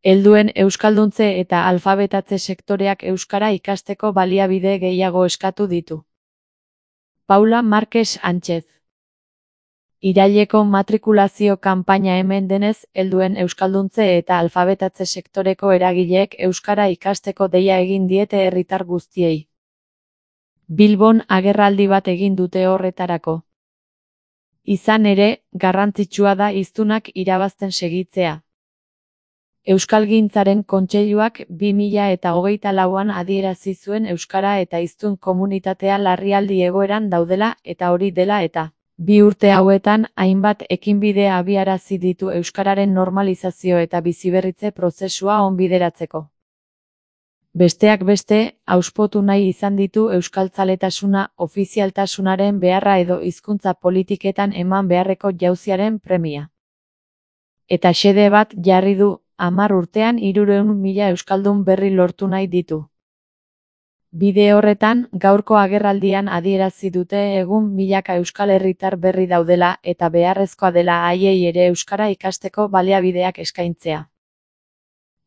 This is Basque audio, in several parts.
Helduen euskalduntze eta alfabetatze sektoreak euskara ikasteko baliabide gehiago eskatu ditu. Paula Marques Sánchez. Iraileko matrikulazio kanpaina hemen denez, helduen euskalduntze eta alfabetatze sektoreko eragileek euskara ikasteko deia egin diete herritar guztiei. Bilbon agerraldi bat egin dute horretarako. Izan ere, garrantzitsua da hiztunak irabazten segitzea. Euskalgintzaren Kontseiluak 2024an adierazi zuen euskara eta hiztun komunitatea larrialdi egoeran daudela eta hori dela eta 2 urte hauetan hainbat ekinbide abiarazi ditu euskararen normalizazio eta biziberritze prozesua onbideratzeko. Besteak beste, hauspotu nahi izan ditu euskaltzaletasuna, ofizialtasunaren beharra edo hizkuntza politiketan eman beharreko jauziaren premia. Eta xede bat jarri du, 10 urtean 300.000 euskaldun berri lortu nahi ditu. Bide horretan, gaurko agerraldian adierazi dute egun milaka euskal herritar berri daudela eta beharrezkoa dela haiei ere euskara ikasteko baliabideak eskaintzea.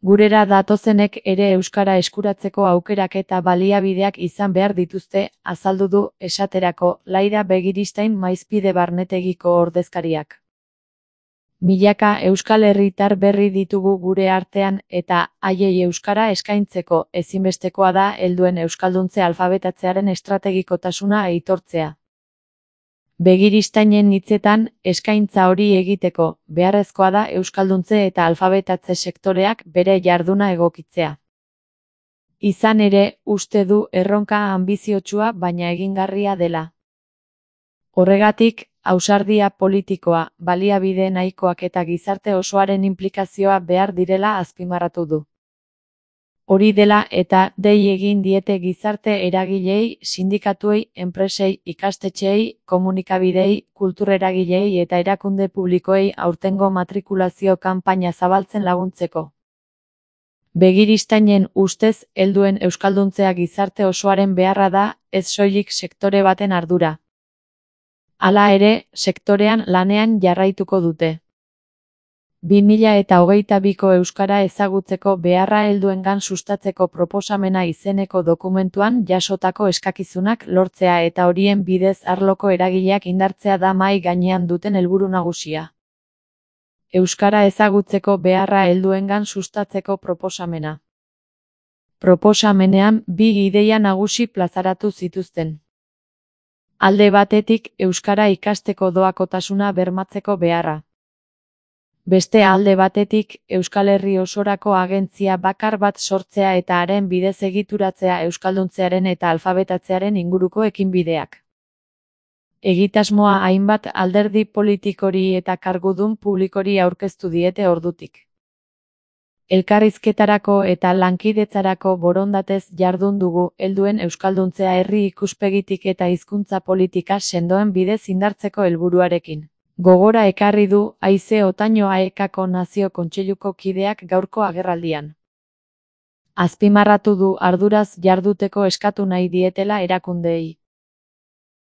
Gurera datozenek ere euskara eskuratzeko aukerak eta baliabideak izan behar dituzte, azaldu du, esaterako, Laira Begiristain Maizpide Barnetegiko ordezkariak. Milaka euskal herritar berri ditugu gure artean eta haiei euskara eskaintzeko ezinbestekoa da helduen euskalduntze alfabetatzearen estrategikotasuna aitortzea. Begiristainen hitzetan, eskaintza hori egiteko, beharrezkoa da euskalduntze eta alfabetatze sektoreak bere jarduna egokitzea. Izan ere, uste du erronka anbiziotsua baina egingarria dela. Horregatik, ausardia politikoa, baliabide nahikoak eta gizarte osoaren inplikazioa behar direla azpimarratu du. Hori dela eta dei egin diete gizarte eragileei, sindikatuei, enpresei, ikastetxeei, komunikabidei, kultureragileei eta erakunde publikoei aurtengo matrikulazio kanpaina zabaltzen laguntzeko. Begiristainen ustez, helduen euskalduntzea gizarte osoaren beharra da, ez soilik sektore baten ardura. Hala ere, sektorean lanean jarraituko dute. 2022ko euskara ezagutzeko beharra helduengan sustatzeko proposamena izeneko dokumentuan jasotako eskakizunak lortzea eta horien bidez arloko eragileak indartzea da mahai gainean duten helburu nagusia. Euskara ezagutzeko beharra helduengan sustatzeko proposamena. Proposamenean 2 ideia nagusi plazaratu zituzten. Alde batetik, euskara ikasteko doakotasuna bermatzeko beharra. Beste alde batetik, Euskal Herri osorako agentzia bakar bat sortzea eta haren bidez egituratzea euskalduntzearen eta alfabetatzearen inguruko ekinbideak. Egitasmoa hainbat alderdi politikori eta kargudun publikori aurkeztu diete ordutik. Elkarrizketarako eta lankidetzarako borondatez jardun dugu helduen euskalduntzea herri ikuspegitik eta hizkuntza politika sendoen bidez indartzeko helburuarekin. Gogora ekarri du Haize Otaño AEKako Nazio Kontseiluko kideak gaurko agerraldian. Azpimarratu du arduraz jarduteko eskatu nahi dietela erakundeei.